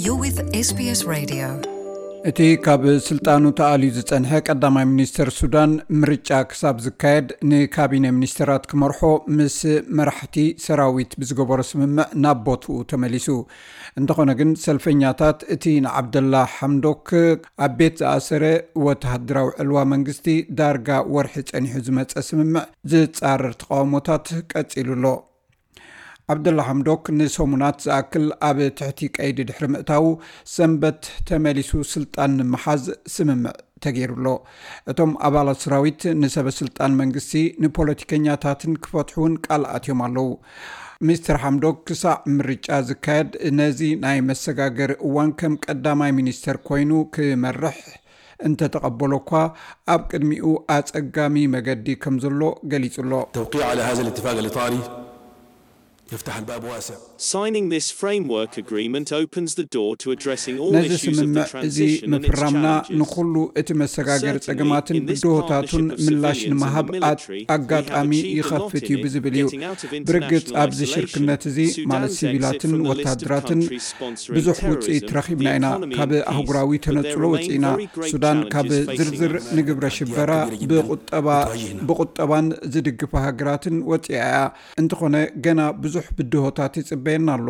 You're with S B S Radio. እቲ ካብ ስልጣኑ ተኣልዩ ዝጸንሐ ቀዳማይ ሚኒስተር ሱዳን፣ ምርጫ ክሳብ ዝካየድ ንካቢነ ሚኒስተራት ክመርሖ ምስ መራሕቲ ሰራዊት ብዝገበሮ ስምምዕ ናብ ቦትኡ ተመሊሱ። እንተኾነ ግን፣ ሰልፈኛታት እቲ ንዓብደላ ሓምዶክ ኣብ ቤት ዝኣሰረ ወተሃደራዊ ዕልዋ መንግስቲ ዳርጋ ወርሒ ጸኒሑ ዝመጸ ስምምዕ ዝጻረር ተቓውሞታት ቀጺሉ ኣሎ። ዓብደላ ሓምዶክ ንሰሙናት ዝኣክል ኣብ ትሕቲ ቀይዲ ድሕሪ ምእታዉ፣ ሰንበት ተመሊሱ ስልጣን ንምሓዝ ስምምዕ ተገይሩ ኣሎ። እቶም ኣባላት ሰራዊት ንሰበ ስልጣን መንግስቲ ንፖለቲከኛታትን ክፈትሑ እውን ቃል ኣትዮም ኣለዉ። ሚስተር ሓምዶክ ክሳዕ ምርጫ ዝካየድ ነዚ ናይ መሰጋገሪ እዋን ከም ቀዳማይ ሚኒስተር ኮይኑ ክመርሕ እንተተቐበሎ እኳ፣ ኣብ ቅድሚኡ ኣጸጋሚ መገዲ ከም ዘሎ ገሊጹ ኣሎ። التوقيع على هذا الاتفاق الإطاري يفتح الباب واسع. Signing this framework agreement opens the door to addressing all ነዚ issues of the ስምምዕ እዚ transition and its ምፍራምና challenges. ንኹሉ እቲ መሰጋገሪ Certainly, ጸገማትን in this ብድሆታቱን partnership of ምላሽ civilians and ንምሃብ the ኣት- military, we have ኣጋጣሚ achieved a lot ይኸፍት in እዩ it, ብዝብል እዩ። getting out of ብርግጽ international ኣብዚ isolation, ሽርክነት እዚ Sudan's ማለት exit ሲቪላትን from the list of ወተሃደራትን countries sponsoring ብዙሕ terrorism, ውጽኢት ረኺብና the ኢና። economy ካብ and peace, ኣህጉራዊ but there ተነጽሎ remain ወጺእና። very grave ሱዳን ካብ challenges facing ዝርዝር America. ንግብረ ሽበራ كبيرة جداً ብቁጠባ بتواجهنا. ብቁጠባን ዝድግፋ ሃገራትን ወጺኣ እያ። እንተኾነ፣ ገና ብዙሕ ብድሆታት ይጽበየና ኣሎ።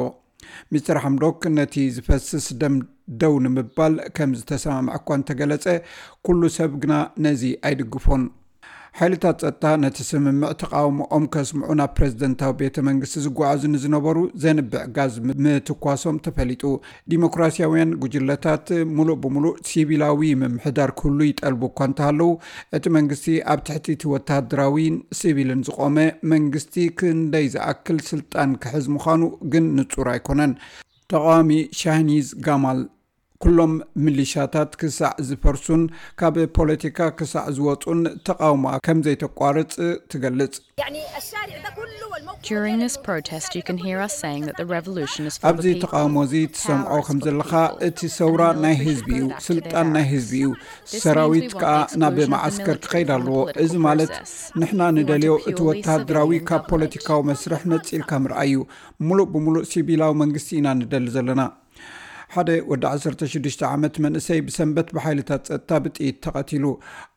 ሚስተር ሓምዶክ ነቲ ዝፈስስ ደም ደው ንምባል ከም ዝተሰማምዐ እኳ እንተገለጸ፣ ኩሉ ሰብ ግና ነዚ ኣይድግፎን። ሓይልታት ጸጥታ ነቲ ስምምዕ ተቓውሞኦም ከስምዑ ናብ ፕሬዝደንታዊ ቤተ መንግስቲ ዝጓዓዙ ንዝነበሩ ዘንብዕ ጋዝ ም- ምትኳሶም ተፈሊጡ። ዲሞክራሲያውያን ጉጅለታት ሙሉእ ብሙሉእ ሲቪላዊ ምምሕዳር ክህሉ ይጠልቡ እኳ እንተሃለዉ፣ እቲ መንግስቲ ኣብ ትሕቲ እቲ ወተሃደራዊን ሲቪልን ዝቖመ መንግስቲ ክንደይ ዝኣክል ስልጣን ክሕዝ ምዃኑ ግን ንጹር ኣይኮነን። ተቓዋሚ ሻህኒዝ ጋማል፣ ኩሎም ሚሊሻታት ክሳዕ ዝፈርሱን ካብ ፖለቲካ ክሳዕ ዝወጹን ተቓውሞኣ ከም ዘይተቋርጽ ትገልጽ። يعني الشارع ده كله والموقف During this protest, you can hear us saying that the revolution is for ኣብዚ the people. ተቓውሞ እዚ ትሰምዖ ከም ዘለኻ፣ እቲ ሰውራ ናይ ህዝቢ እዩ፣ ስልጣን ናይ ህዝቢ እዩ። ሰራዊት ከኣ ናብ ማዓስከር ክኸይድ ኣለዎ። እዚ ማለት ንሕና ንደልዮ እቲ ወተሃደራዊ ካብ ፖለቲካዊ መስርሕ ነጺልካ ምርኣይ እዩ። ሙሉእ ብሙሉእ ሲቪላዊ መንግስቲ ኢና ንደሊ ዘለና። ሓደ ወዲ ዓሰርተ ሽዱሽተ ዓመት መንእሰይ ብሰንበት ብሓይልታት ጸጥታ ብጥይት ተቐቲሉ።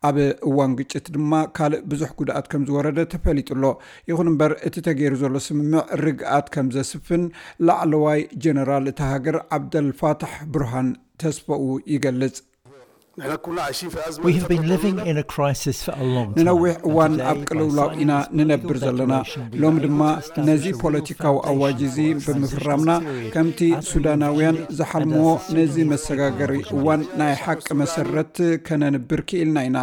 ኣብ እዋን ግጭት ድማ ካልእ ብዙሕ ጉድኣት ከም ዝወረደ ተፈሊጡ ኣሎ። ይኹን እምበር፣ እቲ ተገይሩ ዘሎ ስምምዕ ርግኣት ከም ዘስፍን ላዕለዋይ ጀነራል እታ ሃገር ዓብደልፋታሕ ብርሃን ተስፋኡ ይገልጽ። نحن كنا عايشين في أزمة We have been لفترة living طويلة. in a crisis for a long time. ንነዊሕ And እዋን today, ኣብ by ቅልውላው signing ኢና this political ንነብር ዘለና። declaration, we ሎሚ are ድማ able to establish ነዚ a ፖለቲካዊ foundation ኣዋጅ እዚ for a transition ብምፍራምና፣ period ከምቲ as we ሱዳናውያን begin and ዝሓልምዎ as soon ነዚ as መሰጋገሪ we እዋን ናይ ሓቂ መሰረት ከነንብር ክኢልና ኢና።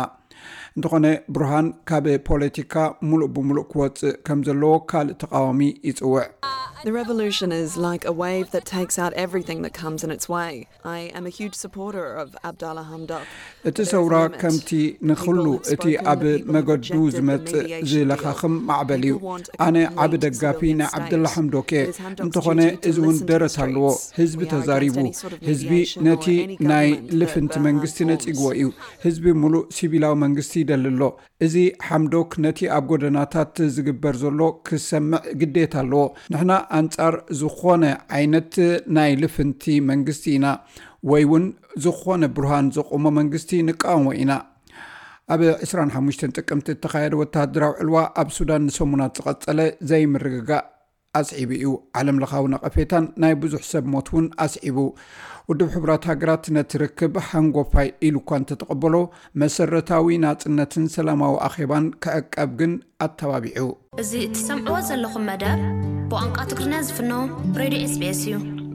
እንተኾነ፣ ብርሃን ካብ ፖለቲካ ሙሉእ ብሙሉእ ክወጽእ ከም ዘለዎ ካልእ ተቓዋሚ ይጽውዕ። The revolution is like a wave that takes out everything that comes in its way. I am a huge supporter of Abdallah Hamdok. እቲ ሰውራ ከምቲ ንኹሉ እቲ ኣብ መገዱ ዝመጽእ ዝለኻኽም ማዕበል እዩ። ኣነ ዓቢ ደጋፊ ናይ ዓብደላ ሓምዶክ እየ። እንተኾነ፣ እዚ እውን ደረት ኣለዎ። ህዝቢ ተዛሪቡ። ህዝቢ ነቲ ናይ ልፍንቲ መንግስቲ ነጺግዎ እዩ። ህዝቢ ሙሉእ ሲቪላዊ መንግስቲ ይደሊ ኣሎ። እዚ ሓምዶክ ነቲ ኣብ ጎደናታት ዝግበር ዘሎ ክሰምዕ ግዴታ ኣለዎ። ንሕና ኣንጻር ዝኾነ ዓይነት ናይ ልፍንቲ መንግስቲ ኢና፣ ወይ እውን ዝኾነ ብርሃን ዘቆሞ መንግስቲ ንቃወሞ ኢና። ኣብ ዕስራን ሓሙሽተን ጥቅምቲ እተኻየደ ወተሃደራዊ ዕልዋ ኣብ ሱዳን ንሰሙናት ዝቐጸለ ዘይምርግጋእ ኣስዒቡ እዩ። ዓለምለኻዊ ነቐፌታን ናይ ብዙሕ ሰብ ሞት እውን ኣስዒቡ። ውድብ ሕቡራት ሃገራት ነቲ ርክብ ሓንጎፋይ ኢሉ እኳ እንተተቐበሎ፣ መሰረታዊ ናጽነትን ሰላማዊ ኣኼባን ክዕቀብ ግን ኣተባቢዑ። እዚ እትሰምዕዎ ዘለኹም መደብ ብቋንቋ ትግርኛ ዝፍኖ ሬድዮ ኤስቢኤስ እዩ።